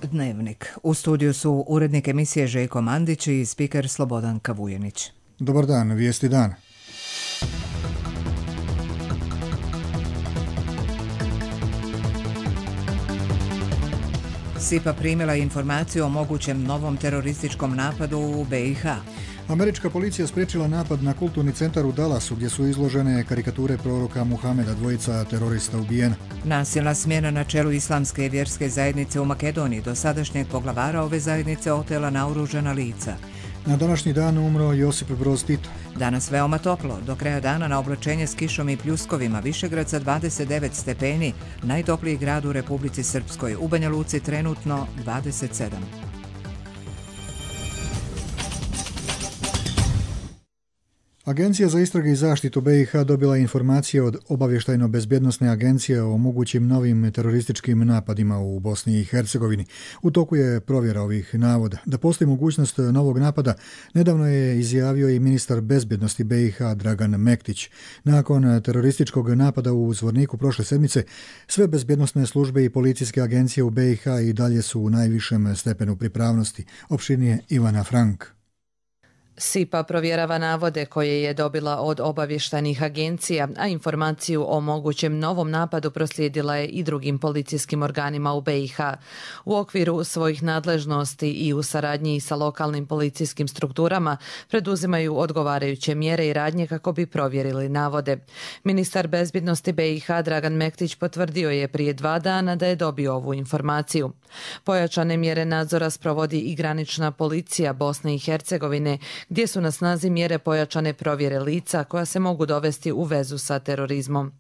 Dnevnik. U studiju su urednik emisije Željko Mandić i spiker Slobodan Kavujenić. Dobar dan, vijesti dana. SIPA primila informaciju o mogućem novom terorističkom napadu u BiH. Američka policija spriječila napad na kulturni centar u Dallasu gdje su izložene karikature proroka Muhameda, dvojica terorista ubijena. Nasilna smjena na čelu islamske vjerske zajednice u Makedoniji, dosadašnjeg poglavara ove zajednice otela naoružana lica. Na današnji dan umro Josip Broz Tito. Danas veoma toplo, do kraja dana na oblačenje s kišom i pljuskovima, Višegrad sa 29 stepeni, najtopliji grad u Republici Srpskoj, u Banja Luci trenutno 27. Agencija za istrage i zaštitu BiH dobila informacije od obavještajno-bezbjednosne agencije o mogućim novim terorističkim napadima u Bosni i Hercegovini. U toku je provjera ovih navoda. Da postoji mogućnost novog napada, nedavno je izjavio i ministar bezbjednosti BiH Dragan Mektić. Nakon terorističkog napada u Zvorniku prošle sedmice, sve bezbjednosne službe i policijske agencije u BiH i dalje su u najvišem stepenu pripravnosti. Opširnije Ivana Frank. SIPA provjerava navode koje je dobila od obavještajnih agencija, a informaciju o mogućem novom napadu proslijedila je i drugim policijskim organima u BiH. U okviru svojih nadležnosti i u saradnji sa lokalnim policijskim strukturama preduzimaju odgovarajuće mjere i radnje kako bi provjerili navode. Ministar bezbjednosti BiH Dragan Mektić potvrdio je prije 2 dana da je dobio ovu informaciju. Pojačane mjere nadzora sprovodi i granična policija Bosne i Hercegovine, gdje su na snazi mjere pojačane provjere lica koja se mogu dovesti u vezu sa terorizmom.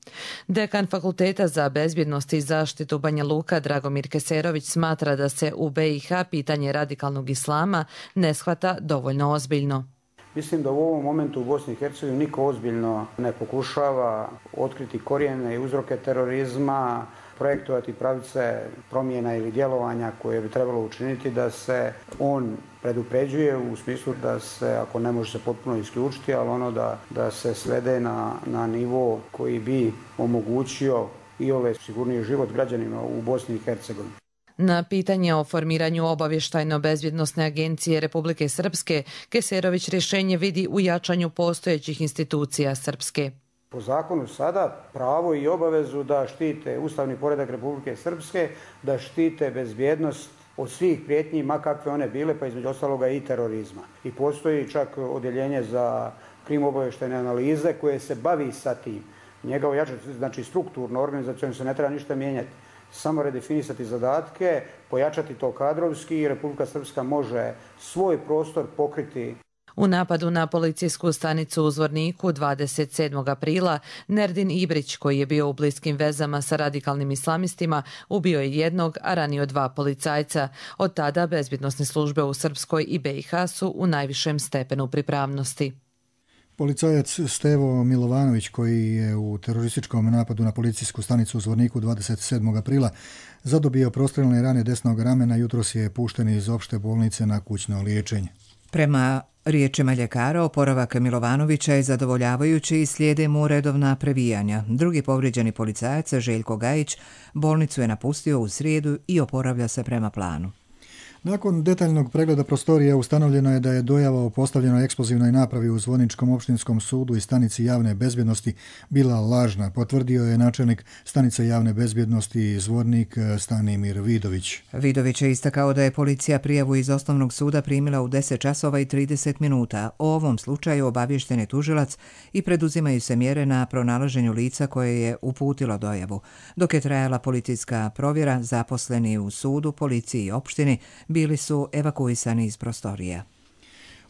Dekan Fakulteta za bezbjednost i zaštitu Banja Luka Dragomir Keserović smatra da se u BiH pitanje radikalnog islama ne shvata dovoljno ozbiljno. Mislim da u ovom momentu u Bosni i Hercegovini niko ozbiljno ne pokušava otkriti korijene i uzroke terorizma, projektovati pravice promjena ili djelovanja koje bi trebalo učiniti da se on predupređuje u smislu da se, ako ne može se potpuno isključiti, ali ono da se svede na nivo koji bi omogućio i sigurniji život građanima u Bosni i Hercegovini. Na pitanje o formiranju obavještajno-bezbjednosne agencije Republike Srpske, Keserović rješenje vidi u jačanju postojećih institucija Srpske. Po zakonu sada pravo i obavezu da štite ustavni poredak Republike Srpske, da štite bezbjednost od svih prijetnji, ma kakve one bile, pa između ostaloga i terorizma. I postoji čak odjeljenje za krim-obavještajne analize koje se bavi sa tim. Njega ojačati, znači strukturno, organizacijom se ne treba ništa mijenjati. Samo redefinisati zadatke, pojačati to kadrovski i Republika Srpska može svoj prostor pokriti. U napadu na policijsku stanicu u Zvorniku 27. aprila Nerdin Ibrić, koji je bio u bliskim vezama sa radikalnim islamistima, ubio je jednog, a ranio 2 policajca. Od tada bezbjednosne službe u Srpskoj i BiH su u najvišem stepenu pripravnosti. Policajac Stevo Milovanović, koji je u terorističkom napadu na policijsku stanicu u Zvorniku 27. aprila zadobio prostreljne rane desnog ramena, jutros je pušten iz opšte bolnice na kućno liječenje. Prema riječima ljekara, oporavak Milovanovića je zadovoljavajući i slijede mu redovna previjanja. Drugi povrijeđeni policajac, Željko Gajić, bolnicu je napustio u srijedu i oporavlja se prema planu. Nakon detaljnog pregleda prostorija ustanovljeno je da je dojava o postavljenoj eksplozivnoj napravi u Zvorničkom opštinskom sudu i stanici javne bezbjednosti bila lažna, potvrdio je načelnik stanice javne bezbjednosti Zvornik Stanimir Vidović. Vidović je istakao da je policija prijavu iz osnovnog suda primila u 10 časova i 30 minuta. O ovom slučaju obaviješten je tužilac i preduzimaju se mjere na pronalaženju lica koje je uputilo dojavu. Dok je trajala policijska provjera, zaposleni u sudu, policiji i opštini bili su evakuisani iz prostorija.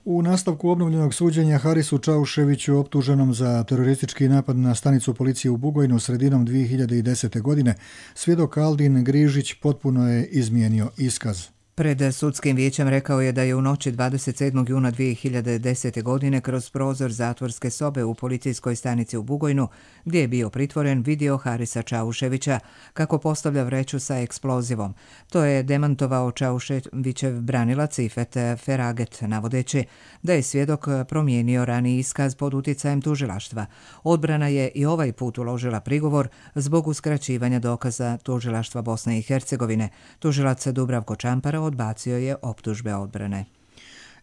U nastavku obnovljenog suđenja Harisu Čauševiću, optuženom za teroristički napad na stanicu policije u Bugojnu sredinom 2010. godine, svjedok Aldin Grižić potpuno je izmijenio iskaz. Pred sudskim vijećem rekao je da je u noći 27. juna 2010. godine kroz prozor zatvorske sobe u policijskoj stanici u Bugojnu, gdje je bio pritvoren, vidio Harisa Čauševića kako postavlja vreću sa eksplozivom. To je demantovao Čauševićev branilac Ifet Feraget, navodeći da je svjedok promijenio raniji iskaz pod utjecajem tužilaštva. Odbrana je i ovaj put uložila prigovor zbog uskraćivanja dokaza tužilaštva Bosne i Hercegovine. Tužilac Dubravko Čampara odbacio je optužbe odbrane.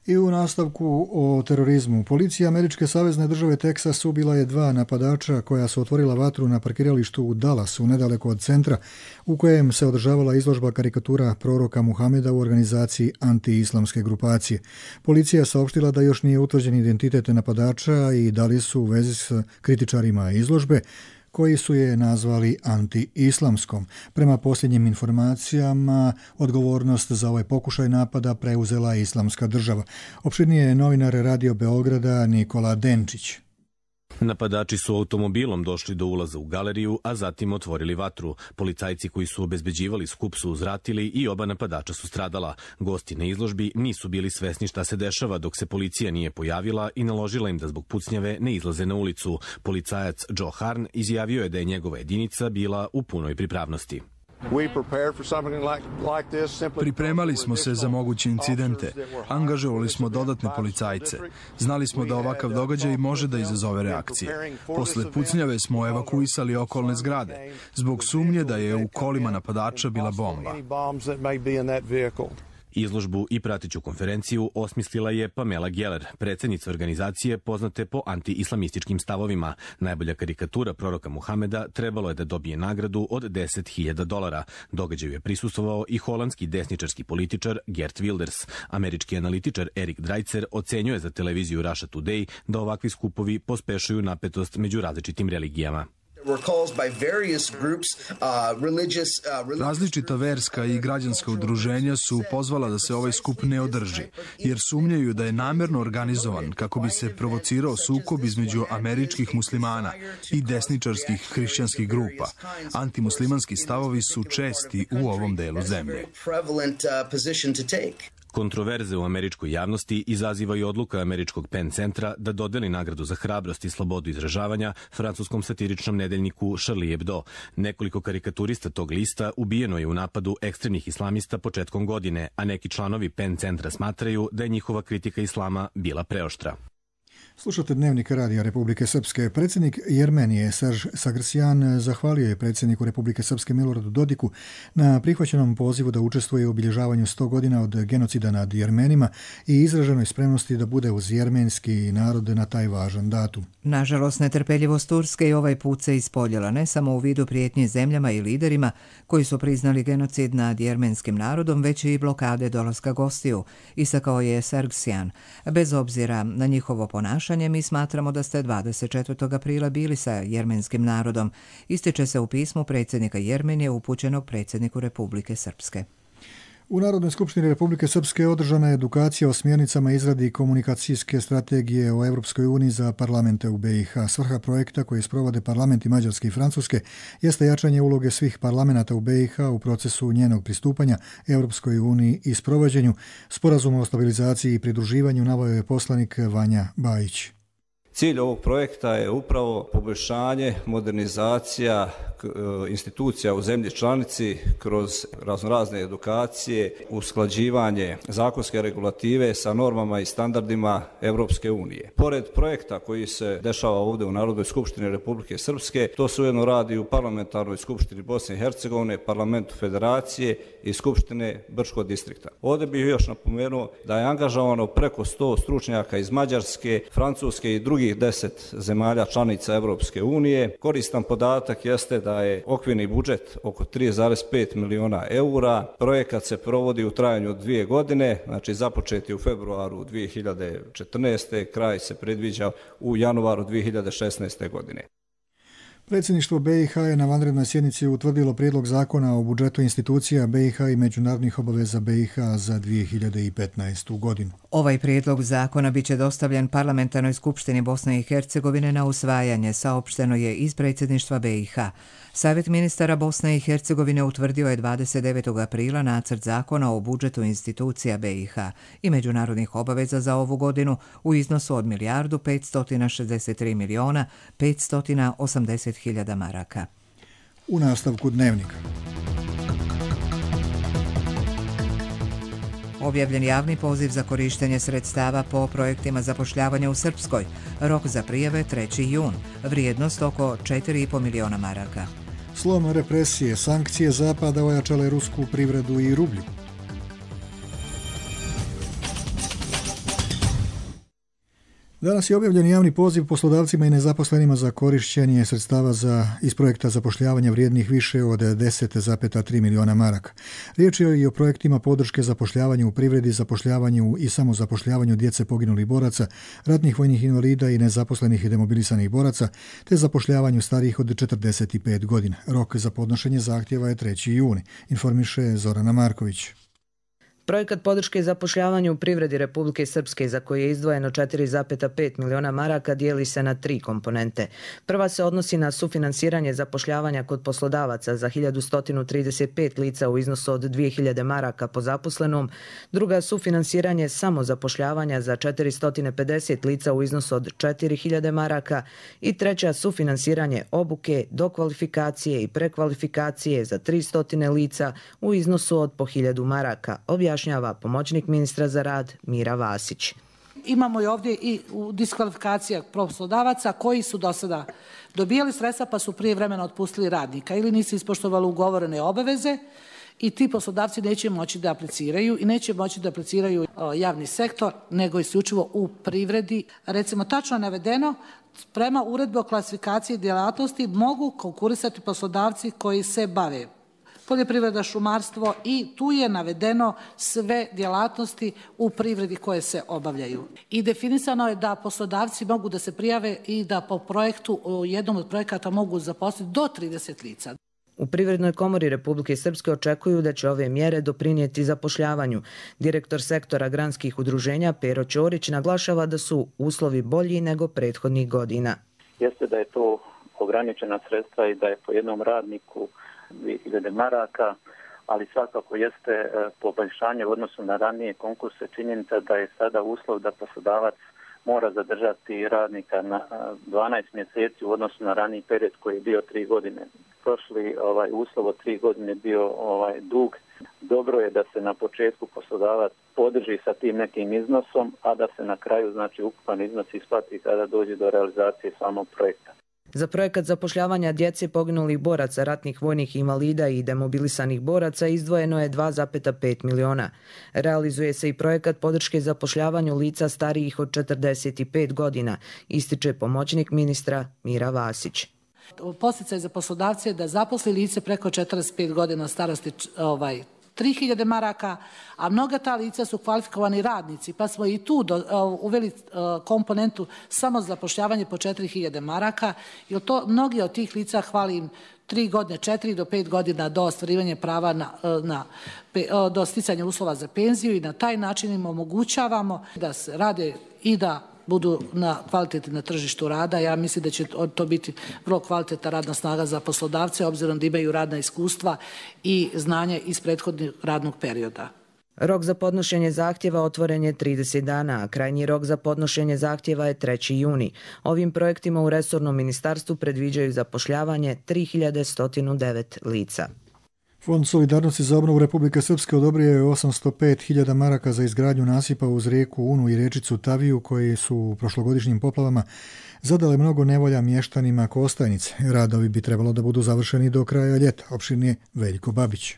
I u nastavku o terorizmu. Policija Američke savezne države Teksas ubila je 2 napadača koja su otvorila vatru na parkiralištu u Dallasu, nedaleko od centra, u kojem se održavala izložba karikatura proroka Muhameda u organizaciji anti-islamske grupacije. Policija je saopštila da još nije utvrđen identitet napadača i da li su u vezi s kritičarima izložbe, koji su je nazvali anti-islamskom. Prema posljednjim informacijama, odgovornost za ovaj pokušaj napada preuzela Islamska država. Opširnije je novinar Radio Beograda Nikola Denčić. Napadači su automobilom došli do ulaza u galeriju, a zatim otvorili vatru. Policajci koji su obezbeđivali skup su uzvratili i oba napadača su stradala. Gosti na izložbi nisu bili svesni šta se dešava dok se policija nije pojavila i naložila im da zbog pucnjave ne izlaze na ulicu. Policajac Joe Harn izjavio je da je njegova jedinica bila u punoj pripravnosti. Pripremali smo se za moguće incidente, angažovali smo dodatne policajce. Znali smo da ovakav događaj može da izazove reakcije. Posle pucnjave smo evakuisali okolne zgrade, zbog sumnje da je u kolima napadača bila bomba. Izložbu i prateću konferenciju osmislila je Pamela Geller, predsjednica organizacije poznate po anti-islamističkim stavovima. Najbolja karikatura proroka Muhameda trebalo je da dobije nagradu od $10.000. Događaju je prisustvovao i holandski desničarski političar Geert Wilders. Američki analitičar Erik Dreitzer ocenjuje za televiziju Russia Today da ovakvi skupovi pospešuju napetost među različitim religijama. Različita verska i građanska udruženja su pozvala da se ovaj skup ne održi, jer sumnjaju da je namjerno organizovan kako bi se provocirao sukob između američkih muslimana i desničarskih hrišćanskih grupa. Antimuslimanski stavovi su česti u ovom delu zemlje. Kontroverze u američkoj javnosti izaziva i odluka američkog Penn centra da dodeli nagradu za hrabrost i slobodu izražavanja francuskom satiričnom nedeljniku Charlie Hebdo. Nekoliko karikaturista tog lista ubijeno je u napadu ekstremnih islamista početkom godine, a neki članovi Penn centra smatraju da je njihova kritika islama bila preoštra. Slušate Dnevnik Radija Republike Srpske. Predsjednik Jermenije Serž Sargsyan zahvalio je predsjedniku Republike Srpske Miloradu Dodiku na prihvaćenom pozivu da učestvuje u obilježavanju 100 godina od genocida nad Jermenima i izraženoj spremnosti da bude uz jermenski narod na taj važan datum. Nažalost, netrpeljivost Turske i ovaj put se ispoljila ne samo u vidu prijetnje zemljama i liderima koji su priznali genocid nad jermenskim narodom, već i blokade dolaska gostiju, istakao je Sargsyan. Bez obzira na njihovo ponašanje, mi smatramo da ste 24. aprila bili sa jermenskim narodom, ističe se u pismu predsjednika Jermenije upućenog predsjedniku Republike Srpske. U Narodnoj skupštini Republike Srpske održana je edukacija o smjernicama izradi komunikacijske strategije o Europskoj uniji za parlamente u BiH. Svrha projekta koji sprovode parlamenti Mađarske i Francuske jeste jačanje uloge svih parlamenata u BiH u procesu njenog pristupanja Europskoj uniji i sprovođenju sporazuma o stabilizaciji i pridruživanju, naveo je poslanik Vanja Bajić. Cilj ovog projekta je upravo poboljšanje, modernizacija institucija u zemlji članici kroz raznorazne edukacije, usklađivanje zakonske regulative sa normama i standardima Europske unije. Pored projekta koji se dešava ovdje u Narodnoj skupštini Republike Srpske, to se ujedno radi u Parlamentarnoj skupštini Bosne i Hercegovine, Parlamentu Federacije i Skupštine Brčkog distrikta. Ovdje bih još napomenuo da je angažovano preko 100 stručnjaka iz Mađarske, Francuske i drugih 10 zemalja članica Europske unije. Koristan podatak jeste da je okvirni budžet oko 3,5 miliona eura. Projekat se provodi u trajanju od 2 godine, znači započet je u februaru 2014. Kraj se predviđa u januaru 2016. godine. Predsjedništvo BiH je na vanrednoj sjednici utvrdilo prijedlog zakona o budžetu institucija BiH i međunarodnih obaveza BiH za 2015. godinu. Ovaj prijedlog zakona biće dostavljen Parlamentarnoj skupštini Bosne i Hercegovine na usvajanje, saopšteno je iz predsjedništva BiH. Savjet ministara Bosne i Hercegovine utvrdio je 29. aprila nacrt zakona o budžetu institucija BiH i međunarodnih obaveza za ovu godinu u iznosu od 1.563.580.000 maraka. U nastavku dnevnika. Objavljen javni poziv za korištenje sredstava po projektima zapošljavanja u Srpskoj. Rok za prijave 3. jun. Vrijednost oko 4,5 miliona maraka. Slom represije, sankcije Zapada ojačale rusku privredu i rublju. Danas je objavljen javni poziv poslodavcima i nezaposlenima za korišćenje sredstava iz projekta zapošljavanja vrijednih više od 10,3 miliona maraka. Riječ je i o projektima podrške zapošljavanju u privredi, zapošljavanju i samozapošljavanju djece poginulih boraca, ratnih vojnih invalida i nezaposlenih i demobilisanih boraca, te zapošljavanju starijih od 45 godina. Rok za podnošenje zahtjeva je 3. juni, informiše Zorana Marković. Projekat podrške zapošljavanju u privredi Republike Srpske, za koje je izdvojeno 4,5 miliona maraka, dijeli se na 3 komponente. Prva se odnosi na sufinansiranje zapošljavanja kod poslodavaca za 1135 lica u iznosu od 2000 maraka po zaposlenom, druga sufinansiranje samozapošljavanja za 450 lica u iznosu od 4000 maraka i treća sufinansiranje obuke, dokvalifikacije i prekvalifikacije za 300 lica u iznosu od po 1000 maraka, objašnjava pomoćnik ministra za rad Mira Vasić. Imamo i ovdje i diskvalifikacija poslodavaca koji su do sada dobijali sredstva pa su prijevremeno otpustili radnika ili nisu ispoštovali ugovorene obaveze i ti poslodavci neće moći da apliciraju i neće moći da apliciraju javni sektor nego isključivo u privredi. Recimo tačno navedeno, prema uredbi o klasifikaciji djelatnosti mogu konkurisati poslodavci koji se bave poljoprivreda, šumarstvo i tu je navedeno sve djelatnosti u privredi koje se obavljaju. I definisano je da poslodavci mogu da se prijave i da po projektu, u jednom od projekata mogu zaposliti do 30 lica. U Privrednoj komori Republike Srpske očekuju da će ove mjere doprinijeti zapošljavanju. Direktor sektora granskih udruženja Pero Ćorić naglašava da su uslovi bolji nego prethodnih godina. Jeste da je to ograničena sredstva i da je po jednom radniku 2000 maraka, ali svakako jeste poboljšanje u odnosu na ranije konkurse. Činjenica da je sada uslov da poslodavac mora zadržati radnika na 12 mjeseci u odnosu na raniji period koji je bio 3 godine. Prošli uslov od 3 godine bio dug. Dobro je da se na početku poslodavac podrži sa tim nekim iznosom, a da se na kraju ukupan iznos isplati kada dođe do realizacije samog projekta. Za projekat zapošljavanja djece poginulih boraca, ratnih vojnih invalida i demobilisanih boraca izdvojeno je 2,5 miliona. Realizuje se i projekat podrške zapošljavanju lica starijih od 45 godina, ističe pomoćnik ministra Mira Vasić. Posticaj za poslodavce je da zaposli lice preko 45 godina starosti 3000 maraka, a mnoga ta lica su kvalifikovani radnici, pa smo i tu uveli komponentu samo zapošljavanje po 4000 maraka, jer to mnogi od tih lica hvali im 3 godine, 4 do 5 godina do ostvarivanja prava do sticanja uslova za penziju i na taj način im omogućavamo da se rade i da budu kvalitetni na tržištu rada. Ja mislim da će to biti vrlo kvalitetna radna snaga za poslodavce, obzirom da imaju radna iskustva i znanje iz prethodnog radnog perioda. Rok za podnošenje zahtjeva otvoren je 30 dana, a krajnji rok za podnošenje zahtjeva je 3. juni. Ovim projektima u resornom ministarstvu predviđaju zapošljavanje 3109 lica. Fond solidarnosti za obnovu Republike Srpske odobrio je 805.000 maraka za izgradnju nasipa uz rijeku Unu i riječicu Taviju koji su u prošlogodišnjim poplavama zadale mnogo nevolja mještanima Kostajnice. Radovi bi trebalo da budu završeni do kraja ljeta, opširnije Veljko Babić.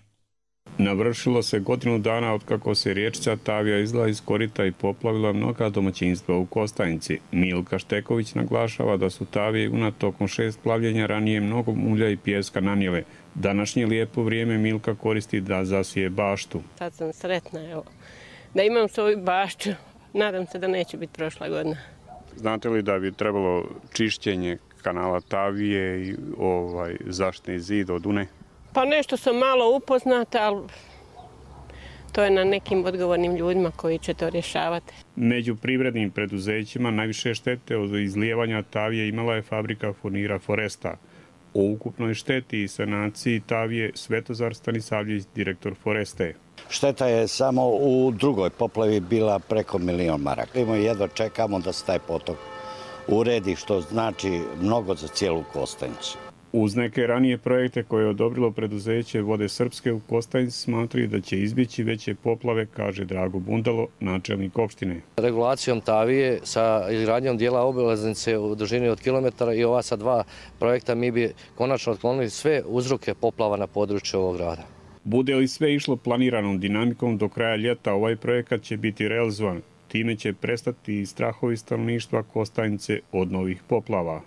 Navršilo se godinu dana otkako se riječica Tavija izla iz korita i poplavila mnoga domaćinstva u Kostajnici. Milka Šteković naglašava da su Tavije tokom 6 plavljenja ranije mnogo mulja i pijeska nanijele. Današnje lijepo vrijeme Milka koristi da zasije baštu. Sad sam sretna da imam svoju baštu. Nadam se da neće biti prošla godina. Znate li da bi trebalo čišćenje kanala Tavije i zaštitni zid od Une? Pa nešto sam malo upoznata, ali to je na nekim odgovornim ljudima koji će to rješavati. Među privrednim preduzećima najviše štete od izlijevanja Tavije imala je fabrika furnira Foresta. O ukupnoj šteti i sanaciji Tavije Svetozar Stanisavljević, direktor Foreste. Šteta je samo u drugoj poplavi bila preko 1 milion maraka. Mi jedva čekamo da se taj potok uredi, što znači mnogo za cijelu Kostajnicu. Uz neke ranije projekte koje je odobrilo preduzeće Vode Srpske u Kostajnici smatraju da će izbjeći veće poplave, kaže Drago Bundalo, načelnik opštine. Regulacijom Tavije sa izgradnjom dijela obilaznice u dužini od kilometara i ova sa 2 projekta mi bi konačno otklonili sve uzroke poplava na području ovog grada. Bude li sve išlo planiranom dinamikom, do kraja ljeta ovaj projekat će biti realizovan. Time će prestati i strahovi stanovništva Kostajnice od novih poplava.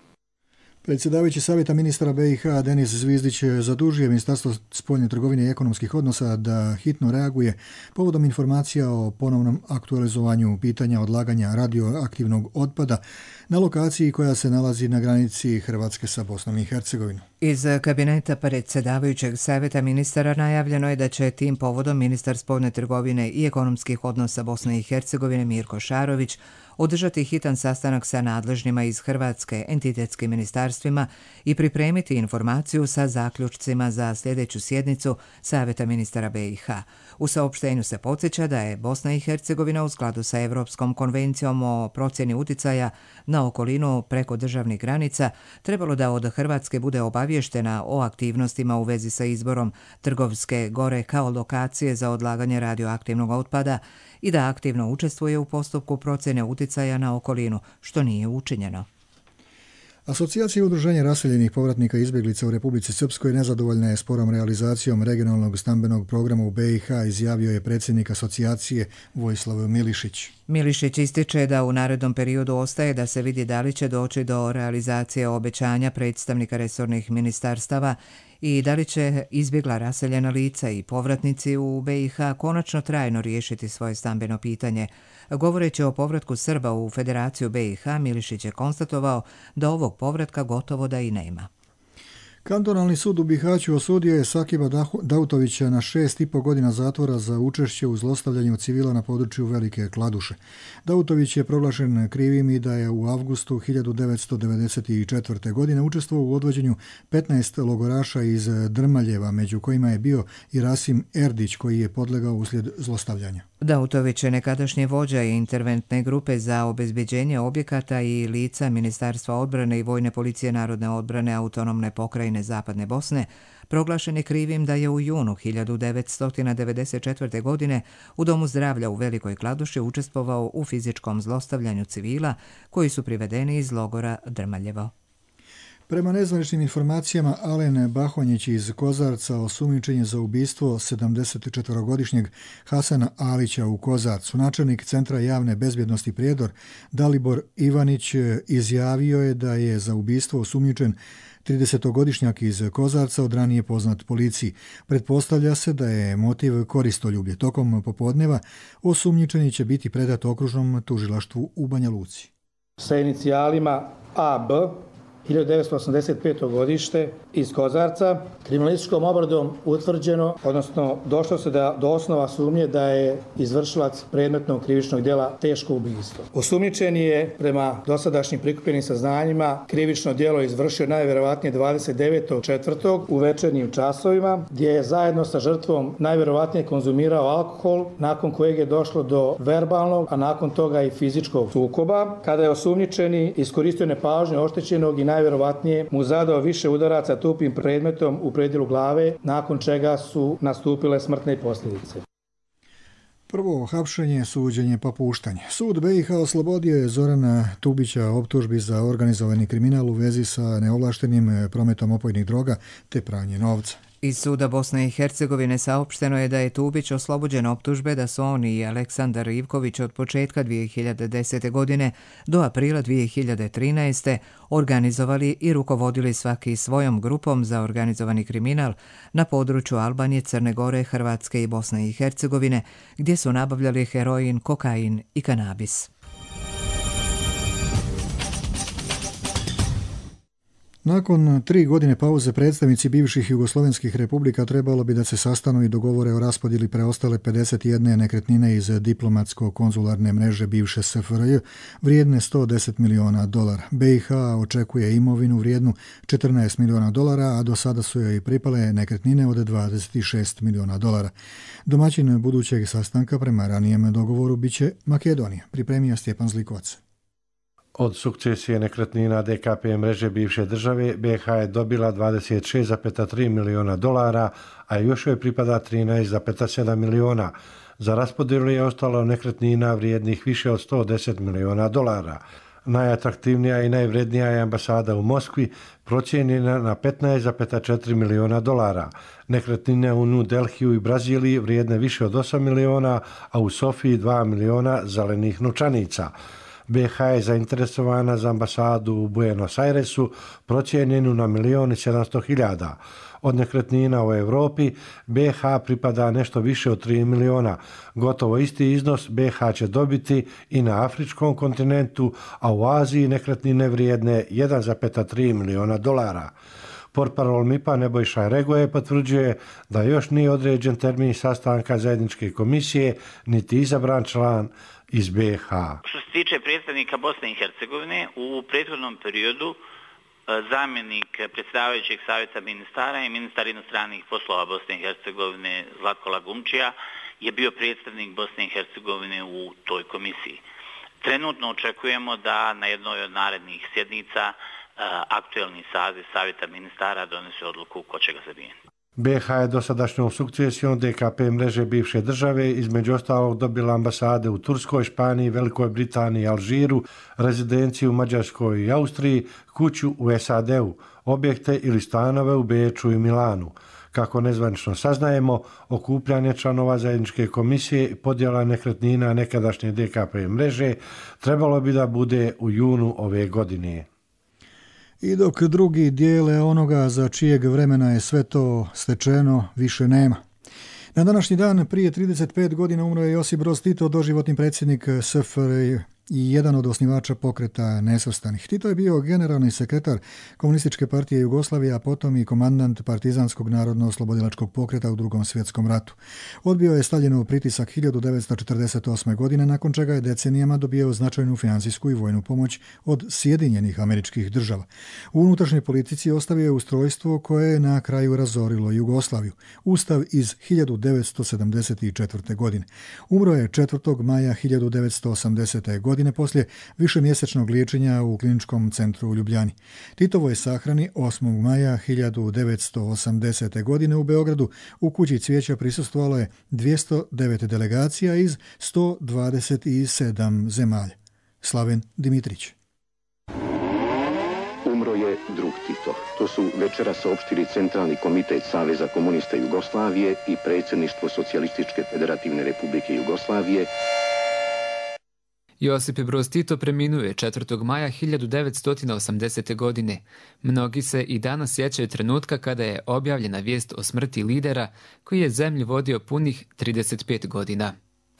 Predsjedavajući Savjeta ministara BiH Denis Zvizdić zadužio Ministarstvo spoljne trgovine i ekonomskih odnosa da hitno reaguje povodom informacija o ponovnom aktualizovanju pitanja odlaganja radioaktivnog otpada na lokaciji koja se nalazi na granici Hrvatske sa Bosnom i Hercegovinom. Iz kabineta predsjedavajućeg Savjeta ministara najavljeno je da će tim povodom ministar spoljne trgovine i ekonomskih odnosa Bosne i Hercegovine Mirko Šarović održati hitan sastanak sa nadležnima iz Hrvatske entitetskim ministarstvima i pripremiti informaciju sa zaključcima za sljedeću sjednicu Savjeta ministara BiH. U saopštenju se podsjeća da je Bosna i Hercegovina u skladu sa Europskom konvencijom o procjeni uticaja na okolinu preko državnih granica trebalo da od Hrvatske bude obavještena o aktivnostima u vezi sa izborom Trgovske gore kao lokacije za odlaganje radioaktivnog otpada i da aktivno učestvuje u postupku procjene uticaja na okolinu, što nije učinjeno. Asocijacija udruženja raseljenih povratnika i izbjeglica u Republici Srpskoj nezadovoljna je sporom realizacijom regionalnog stambenog programa u BiH, izjavio je predsjednik asocijacije Vojislav Milišić. Milišić ističe da u narednom periodu ostaje da se vidi da li će doći do realizacije obećanja predstavnika resornih ministarstava i da li će izbjegla raseljena lica i povratnici u BiH konačno trajno riješiti svoje stambeno pitanje. Govoreći o povratku Srba u Federaciju BiH, Milišić je konstatovao da ovog povratka gotovo da i nema. Kantonalni sud u Bihaću osudio je Sakiba Dautovića na 6,5 godina zatvora za učešće u zlostavljanju civila na području Velike Kladuše. Dautović je proglašen krivim i da je u avgustu 1994. godine učestvovao u odvođenju 15 logoraša iz Drmaljeva, među kojima je bio i Rasim Erdić, koji je podlegao uslijed zlostavljanja. Dautović je nekadašnji vođa interventne grupe za obezbeđenje objekata i lica Ministarstva odbrane i Vojne policije Narodne odbrane Autonomne pokrajine Zapadne Bosne, proglašen je krivim da je u junu 1994. godine u Domu zdravlja u Velikoj Kladuši učestvovao u fizičkom zlostavljanju civila koji su privedeni iz logora Drmaljevo. Prema nezvaničnim informacijama, Alen Bahonjić iz Kozarca osumnjičen je za ubistvo 74-godišnjeg Hasana Alića u Kozarcu. Načelnik Centra javne bezbjednosti Prijedor Dalibor Ivanić izjavio je da je za ubistvo osumnjičen 30-godišnjak iz Kozarca, od ranije poznat policiji. Pretpostavlja se da je motiv koristoljublje. Tokom popodneva osumnjičeni će biti predat okružnom tužilaštvu u Banja Luci. Sa inicijalima AB 1985. godište iz Kozarca, kriminalističkom obradom utvrđeno, odnosno došlo se do osnova sumnje da je izvršilac predmetnog krivičnog djela teško ubistvo. Osumnjičeni je prema dosadašnjim prikupljenim saznanjima krivično djelo izvršio najvjerovatnije 29.4. u večernjim časovima, gdje je zajedno sa žrtvom najvjerovatnije konzumirao alkohol, nakon kojeg je došlo do verbalnog, a nakon toga i fizičkog sukoba, kada je osumnjičeni iskoristio nepažnju oštećenog i najvjerovatnije mu zadao više udaraca tupim predmetom u predjelu glave, nakon čega su nastupile smrtne posljedice. Prvo hapšenje, suđenje pa puštanje. Sud BiH oslobodio je Zorana Tubića optužbi za organizovani kriminal u vezi sa neovlaštenim prometom opojnih droga te pranje novca. Iz suda Bosne i Hercegovine saopšteno je da je Tubić oslobođen optužbe da su on i Aleksandar Ivković od početka 2010. godine do aprila 2013. organizovali i rukovodili svaki svojom grupom za organizovani kriminal na području Albanije, Crne Gore, Hrvatske i Bosne i Hercegovine, gdje su nabavljali heroin, kokain i kanabis. Nakon 3 godine pauze predstavnici bivših jugoslovenskih republika trebalo bi da se sastanu i dogovore o raspodjeli preostale 51 nekretnine iz diplomatsko-konzularne mreže bivše SFRJ vrijedne $110 miliona. BiH očekuje imovinu vrijednu $14 miliona, a do sada su joj pripale nekretnine od $26 miliona. Domaćin budućeg sastanka prema ranijem dogovoru biće Makedonija, pripremio Stjepan Zlikovac. Od sukcesije nekretnina DKP mreže bivše države, BiH je dobila $26,3 miliona, a još joj pripada $13,7 miliona. Za raspodjelu je ostalo nekretnina vrijednih više od $110 miliona. Najatraktivnija i najvrednija je ambasada u Moskvi, procijenjena na $15,4 miliona. Nekretnine u New Delhiju i Braziliji vrijedne više od $8 miliona, a u Sofiji $2 miliona zelenih novčanica. BiH je zainteresovana za ambasadu u Buenos Airesu, procijenjenu na $1.700.000. Od nekretnina u Europi BiH pripada nešto više od 3 miliona. Gotovo isti iznos BiH će dobiti i na afričkom kontinentu, a u Aziji nekretnine vrijedne $1,3 miliona. Portparol MIP-a Nebojša Regoje potvrđuje da još nije određen termin sastanka zajedničke komisije, niti izabran član iz BiH. Što se tiče predstavnika Bosne i Hercegovine, u prethodnom periodu zamjenik predsjedavajućeg savjeta ministara i ministar inostranih poslova Bosne i Hercegovine Zlatko Lagumčija je bio predstavnik Bosne i Hercegovine u toj komisiji. Trenutno očekujemo da na jednoj od narednih sjednica aktuelni saziv savjeta ministara donese odluku ko će ga zamijeniti. BiH je dosadašnjom sukcesijom DKP mreže bivše države između ostalog dobila ambasade u Turskoj, Španiji, Velikoj Britaniji i Alžiru, rezidenciju u Mađarskoj i Austriji, kuću u SAD-u, objekte ili stanove u Beču i Milanu. Kako nezvanično saznajemo, okupljanje članova zajedničke komisije i podjela nekretnina nekadašnje DKP mreže trebalo bi da bude u junu ove godine. I dok drugi dijele onoga za čijeg vremena je sve to stečeno, više nema. Na današnji dan prije 35 godina umro je Josip Broz Tito, doživotni predsjednik SFRJ i jedan od osnivača pokreta nesvrstanih. Tito je bio generalni sekretar Komunističke partije Jugoslavije, a potom i komandant Partizanskog narodno-oslobodilačkog pokreta u Drugom svjetskom ratu. Odbio je Staljinov pritisak 1948. godine, nakon čega je decenijama dobijao značajnu financijsku i vojnu pomoć od Sjedinjenih Američkih Država. U unutrašnjoj politici ostavio je ustrojstvo koje je na kraju razorilo Jugoslaviju. Ustav iz 1974. godine. Umro je 4. maja 1980. godine poslije višemjesečnog liječenja u kliničkom centru u Ljubljani. Titovo je sahrani 8. maja 1980. godine u Beogradu. U kući cvijeća prisustvovalo je 209 delegacija iz 127 zemalja. Slaven Dimitrić. Umro je drug Tito. To su večera saopštili Centralni komitet Saveza komunista Jugoslavije i predsjedništvo Socijalističke federativne republike Jugoslavije. Josip Broz Tito preminuo je 4. maja 1980. godine. Mnogi se i danas sjećaju trenutka kada je objavljena vijest o smrti lidera koji je zemlju vodio punih 35 godina.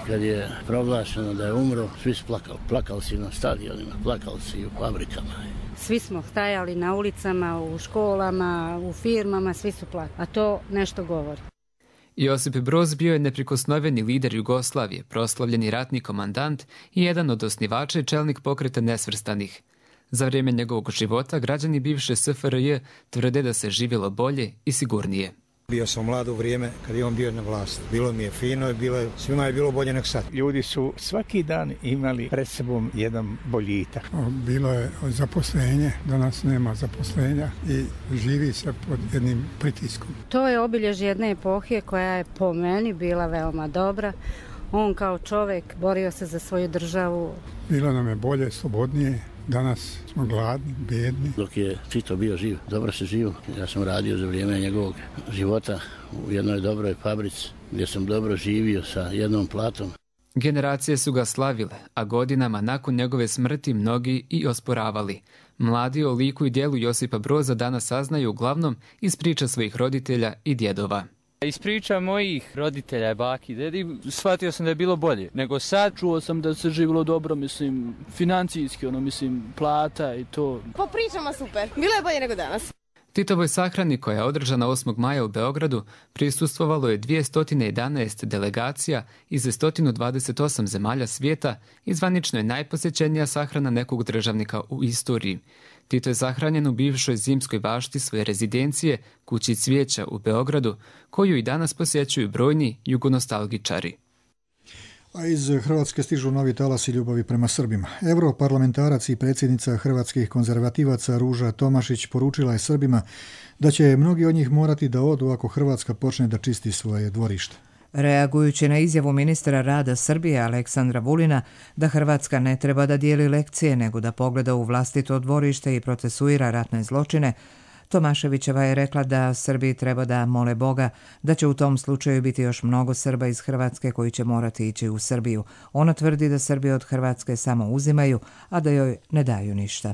Kad je proglašeno da je umro, svi su plakali. Plakali si na stadionima, plakali si u fabrikama. Svi smo stajali na ulicama, u školama, u firmama, svi su plakali. A to nešto govori. Josip Broz bio je neprikosnoveni lider Jugoslavije, proslavljeni ratni komandant i jedan od osnivača i čelnik pokreta nesvrstanih. Za vrijeme njegovog života građani bivše SFRJ tvrde da se živjelo bolje i sigurnije. Bio sam mlad u vrijeme kad je on bio na vlasti. Bilo mi je fino, svima je bilo bolje nek sad. Ljudi su svaki dan imali pred sobom jedan boljitak. Bilo je zaposlenje, danas nema zaposlenja i živi se pod jednim pritiskom. To je obilježje jedne epohe koja je po meni bila veoma dobra. On kao čovjek borio se za svoju državu. Bilo nam je bolje, slobodnije. Danas smo gladni, bedni. Dok je Tito bio živ, dobro se živo. Ja sam radio za vrijeme njegovog života u jednoj dobroj fabrici gdje sam dobro živio sa jednom platom. Generacije su ga slavile, a godinama nakon njegove smrti mnogi i osporavali. Mladi o liku i djelu Josipa Broza danas saznaju uglavnom iz priča svojih roditelja i djedova. Iz priča mojih roditelja, baki, dedi, shvatio sam da je bilo bolje nego sad. Čuo sam da se živjelo dobro, mislim, financijski, plata i to. Po pričama super, bilo je bolje nego danas. Titovoj sahrani koja je održana 8. maja u Beogradu prisustvovalo je 211 delegacija iz 128 zemalja svijeta i zvanično je najposjećenija sahrana nekog državnika u istoriji. Tito je sahranjen u bivšoj zimskoj bašti svoje rezidencije, kući cvijeća u Beogradu, koju i danas posjećuju brojni jugonostalgičari. A iz Hrvatske stižu novi talasi ljubavi prema Srbima. Europarlamentarac i predsjednica hrvatskih konzervativaca Ruža Tomašić poručila je Srbima da će mnogi od njih morati da odu ako Hrvatska počne da čisti svoje dvorište. Reagujući na izjavu ministra rada Srbije Aleksandra Vulina da Hrvatska ne treba da dijeli lekcije nego da pogleda u vlastito dvorište i procesuira ratne zločine, Tomaševićeva je rekla da Srbiji treba da mole Boga da će u tom slučaju biti još mnogo Srba iz Hrvatske koji će morati ići u Srbiju. Ona tvrdi da Srbi od Hrvatske samo uzimaju, a da joj ne daju ništa.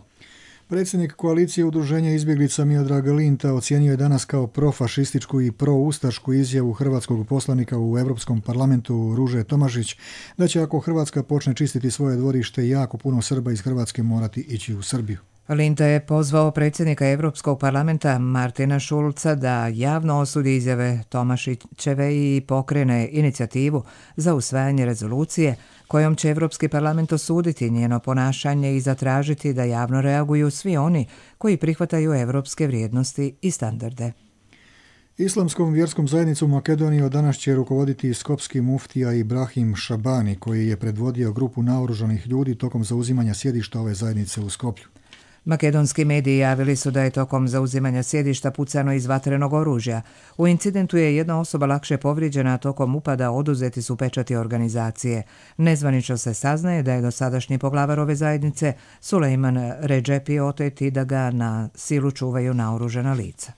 Predsjednik koalicije udruženja izbjeglica Miodrag Linta ocijenio je danas kao profašističku i proustašku izjavu hrvatskog poslanika u Europskom parlamentu Ruže Tomašić da će ako Hrvatska počne čistiti svoje dvorište jako puno Srba iz Hrvatske morati ići u Srbiju. Linta je pozvao predsjednika Europskog parlamenta Martina Schulza da javno osudi izjave Tomašićeve i pokrene inicijativu za usvajanje rezolucije kojom će Europski parlament osuditi njeno ponašanje i zatražiti da javno reaguju svi oni koji prihvataju europske vrijednosti i standarde. Islamskom vjerskom zajednicom Makedonije od danas će rukovoditi skopski muftija Ibrahim Šabani, koji je predvodio grupu naoružanih ljudi tokom zauzimanja sjedišta ove zajednice u Skoplju. Makedonski mediji javili su da je tokom zauzimanja sjedišta pucano iz vatrenog oružja. U incidentu je jedna osoba lakše povrijeđena, a tokom upada oduzeti su pečati organizacije. Nezvanično se saznaje da je dosadašnji poglavar ove zajednice Sulejman Redžepi otet i da ga na silu čuvaju naoružana lica.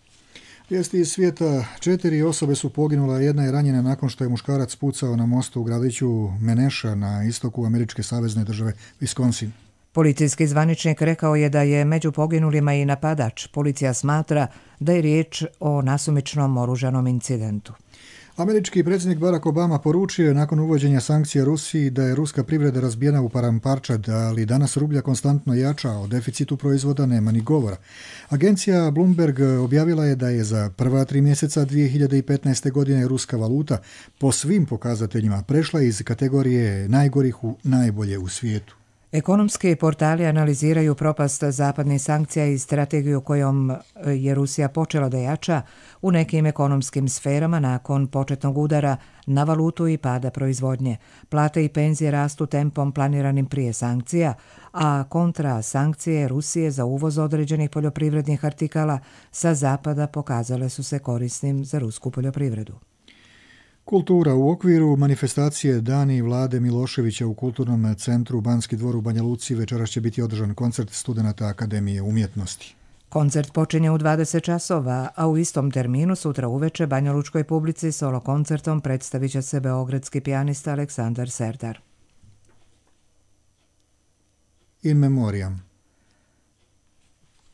Vijesti iz svijeta: 4 osobe su poginule, jedna je ranjena nakon što je muškarac pucao na mostu u gradiću Meneša na istoku američke savezne države Wisconsin. Policijski zvaničnik rekao je da je među poginulima i napadač. Policija smatra da je riječ o nasumičnom oružanom incidentu. Američki predsjednik Barack Obama poručio je nakon uvođenja sankcija Rusiji da je ruska privreda razbijena u paramparčad, ali danas rublja konstantno jača, o deficitu proizvoda nema ni govora. Agencija Bloomberg objavila je da je za prva 3 mjeseca 2015. godine ruska valuta po svim pokazateljima prešla iz kategorije najgorih u najbolje u svijetu. Ekonomski portali analiziraju propast zapadnih sankcija i strategiju kojom je Rusija počela da jača u nekim ekonomskim sferama nakon početnog udara na valutu i pada proizvodnje. Plate i penzije rastu tempom planiranim prije sankcija, a kontra sankcije Rusije za uvoz određenih poljoprivrednih artikala sa zapada pokazale su se korisnim za rusku poljoprivredu. Kultura. U okviru manifestacije Dani Vlade Miloševića u Kulturnom centru Banski dvor u Banja Luci večeras će biti održan koncert studenata Akademije umjetnosti. Koncert počinje u 20 časova, a u istom terminu sutra uveče banjalučkoj publici solo koncertom predstavit će se beogradski pijanista Aleksandar Serdar. In memoriam.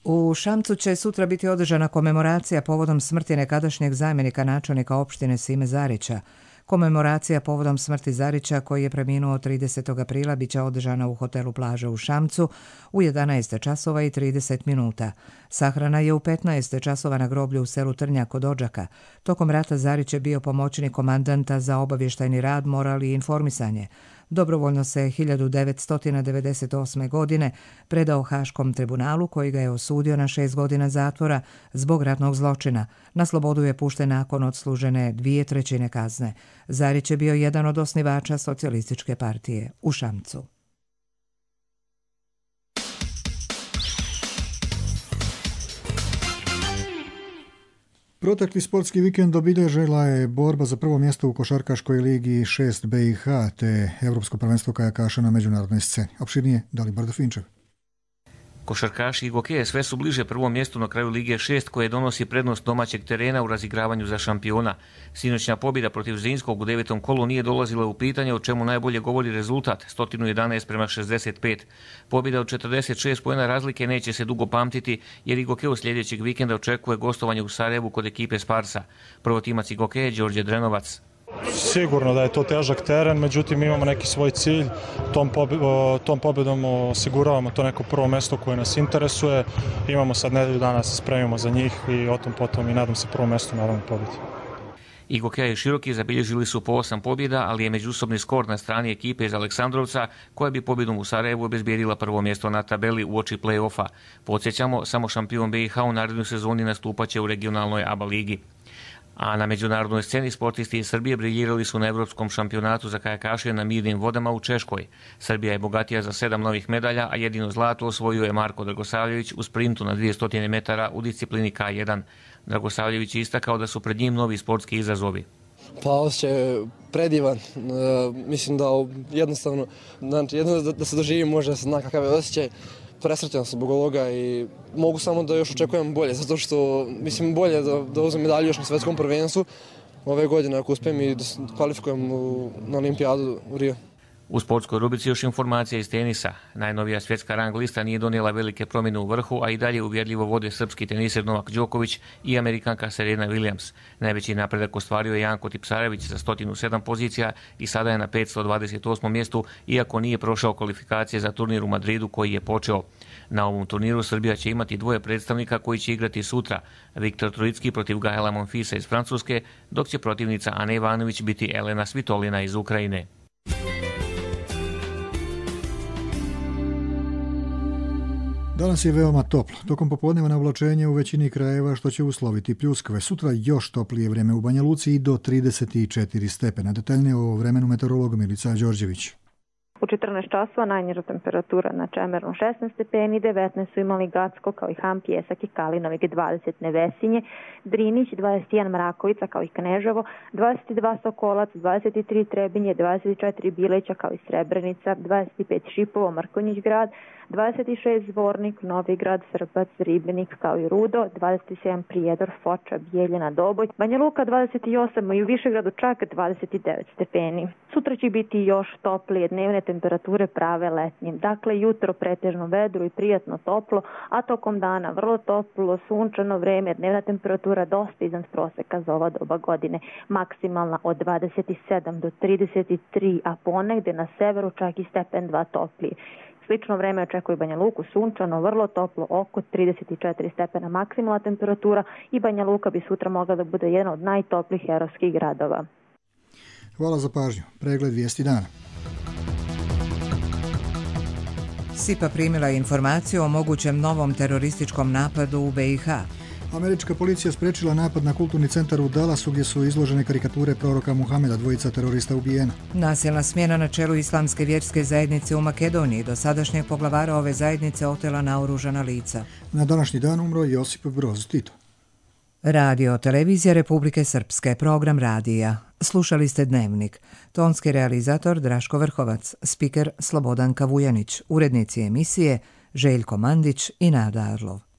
U Šamcu će sutra biti održana komemoracija povodom smrti nekadašnjeg zamjenika načelnika opštine Sime Zarića. Komemoracija povodom smrti Zarića, koji je preminuo 30. aprila, bit će održana u hotelu Plaža u Šamcu u 11 časova i 30 minuta. Sahrana je u 15 časova na groblju u selu Trnjak kod Odžaka. Tokom rata Zarić je bio pomoćnik komandanta za obavještajni rad, moral i informisanje. Dobrovoljno se 1998. godine predao Haškom tribunalu koji ga je osudio na 6 godina zatvora zbog ratnog zločina. Na slobodu je pušten nakon odslužene 2/3 kazne. Zarić je bio jedan od osnivača Socijalističke partije u Šamcu. Protekli sportski vikend obilježila je borba za prvo mjesto u košarkaškoj ligi 6 BiH te Europsko prvenstvo kajakaša na međunarodnoj sceni. Opširnije Dalibor Finčev. Košarkaši Igokeje sve su bliže prvom mjestu na kraju Lige 6 koje donosi prednost domaćeg terena u razigravanju za šampiona. Sinoćna pobjeda protiv Zrinskog u 9. kolu nije dolazila u pitanje, o čemu najbolje govori rezultat 111:65. Pobjeda od 46 poena razlike neće se dugo pamtiti jer Igokeo sljedećeg vikenda očekuje gostovanje u Sarajevu kod ekipe Sparsa. Prvotimac Igokeje Đorđe Drenovac. Sigurno da je to težak teren, međutim imamo neki svoj cilj, tom pobjedom osiguravamo to neko prvo mjesto koje nas interesuje, imamo sad nedelju dana se spremimo za njih i o tom potom i nadam se prvo mjesto naravno pobjedi. Igokeja i Široki zabilježili su po 8 pobjeda, ali je međusobni skor na strani ekipe iz Aleksandrovca koja bi pobjedom u Sarajevu obezbijedila prvo mjesto na tabeli uoči play-offa. Podsjećamo, samo šampion BiH u narednoj sezoni nastupaće u regionalnoj ABA ligi. A na međunarodnoj sceni sportisti iz Srbije briljirali su na Evropskom šampionatu za kajakaše na mirnim vodama u Češkoj. Srbija je bogatija za 7 novih medalja, a jedino zlato osvojio je Marko Dragosavljević u sprintu na 200 metara u disciplini K1. Dragosavljević je istakao da su pred njim novi sportski izazovi. Pa osjećaj je predivan, mislim da jednostavno, da se doživi može da se zna kakav je osjećaj. Presrećan sam zbog ovoga i mogu samo da još očekujem bolje, zato što mislim bolje da uzmem medalju još na svetskom prvenstvu ove godine ako uspijem i da se kvalifikujem na olimpijadu u Rio. U sportskoj rubrici još informacija iz tenisa. Najnovija svjetska rang lista nije donijela velike promjene u vrhu, a i dalje uvjerljivo vode srpski teniser Novak Đoković i Amerikanka Serena Williams. Najveći napredak ostvario je Janko Tipsarević za 107 pozicija i sada je na 528. mjestu, iako nije prošao kvalifikacije za turnir u Madridu koji je počeo. Na ovom turniru Srbija će imati dvoje predstavnika koji će igrati sutra. Viktor Trojicki protiv Gaela Monfilsa iz Francuske, dok će protivnica Ane Ivanović biti Elena Svitolina iz Ukrajine. Danas je veoma toplo. Tokom popodneva navlačenje u većini krajeva što će usloviti pljuskave. Sutra još toplije vrijeme u Banja Luci i do 34 stepena. Detaljnije o vremenu meteorolog Milica Đorđević. U 14 časova najniža temperatura na Čemernu 16 stepeni, 19 su imali Gacko kao i Ham, Pjesak i Kalinovik 20 Nevesinje, Drinić 21 Mrakovica kao i Kneževo, 22 Sokolac, 23 Trebinje, 24 Bileća kao i Srebrenica, 25 Šipovo, Mrkonjić grad, 26 Zvornik, Novigrad, Srbac, Ribnik kao i Rudo, 27 Prijedor, Foča, Bijeljina, Doboj, Banja Luka 28 i u Višegradu čak 29 stepeni. Sutra će biti još toplije, dnevne temperature prave letnjim. Dakle, jutro pretežno vedro i prijatno toplo, a tokom dana vrlo toplo, sunčano vreme, dnevna temperatura dosta iznad proseka za ova doba godine. Maksimalna od 27 do 33, a ponegde na severu čak i stepen 2 toplije. Slično vreme očekuje Banja Luku, sunčano, vrlo toplo, oko 34 stepena maksimalna temperatura i Banja Luka bi sutra mogla da bude jedan od najtoplijih europskih gradova. Hvala za pažnju. Pregled vijesti dana. SIPA primila informaciju o mogućem novom terorističkom napadu u BiH. Američka policija sprečila napad na kulturni centar u Dallasu gdje su izložene karikature proroka Muhameda, dvojica terorista ubijena. Nasilna smjena na čelu Islamske vjerske zajednice u Makedoniji, dosadašnjeg poglavara ove zajednice otela naoružana lica. Na današnji dan umro Josip Broz Tito. Radio televizija Republike Srpske, program radija. Slušali ste Dnevnik. Tonski realizator Draško Vrhovac, spiker Slobodan Kavujanić, urednici emisije Željko Mandić i Nada Arlov.